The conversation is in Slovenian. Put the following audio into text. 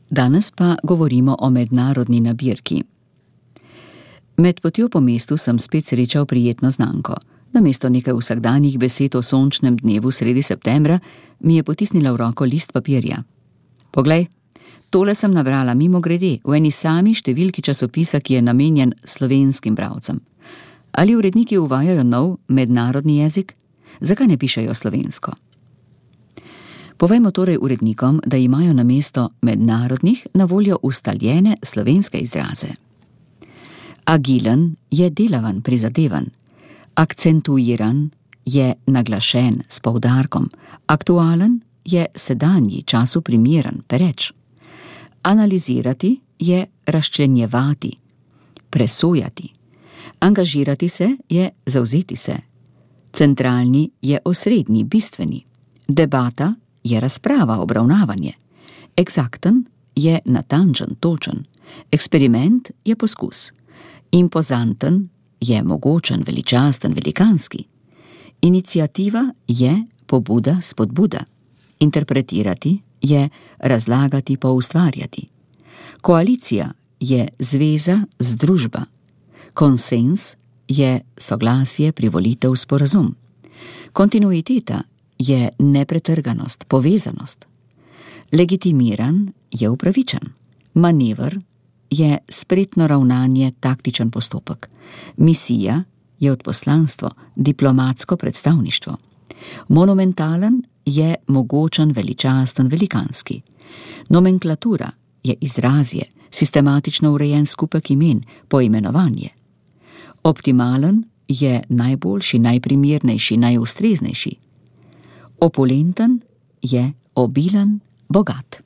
Danes pa govorimo o mednarodni nabirki. Med potjo po mestu sem spet srečal prijetno znanko. Namesto nekaj vsakdanjih besed o sončnem dnevu sredi septembra mi je potisnila v roko list papirja. Poglej, tole sem nabrala mimogrede v eni sami številki časopisa, ki je namenjen slovenskim bralcem. Ali uredniki uvajajo nov mednarodni jezik? Zakaj ne pišejo slovensko? Povejmo torej urednikom, da imajo namesto mednarodnih na voljo ustaljene slovenske izraze. Agilen je delavan, prizadevan. Akcentuiran je naglašen s poudarkom. Aktualen je sedanji, času primeren, pereč. Analizirati je razčlenjevati, presojati. Angažirati se je zavzeti se. Centralni je osrednji, bistveni. Debata je razprava, obravnavanje. Eksakten je natančen, točen. Eksperiment je poskus. Impozanten je mogočen, veličasten, velikanski. Iniciativa je pobuda, spodbuda. Interpretirati je razlagati, poustvarjati. Koalicija je zveza, združba. Konsens je soglasje, privolitev, sporazum. Kontinuiteta je nepretrganost, povezanost. Legitimiran je upravičen. Manever je spretno ravnanje, taktičen postopek. Misija je odposlanstvo, diplomatsko predstavništvo. Monumentalen je mogočen, veličasten, velikanski. Nomenklatura je izrazje, sistematično urejen skupek imen, poimenovanje. Optimalen je najboljši, najprimernejši, najustreznejši. Opulenten je obilen, bogat.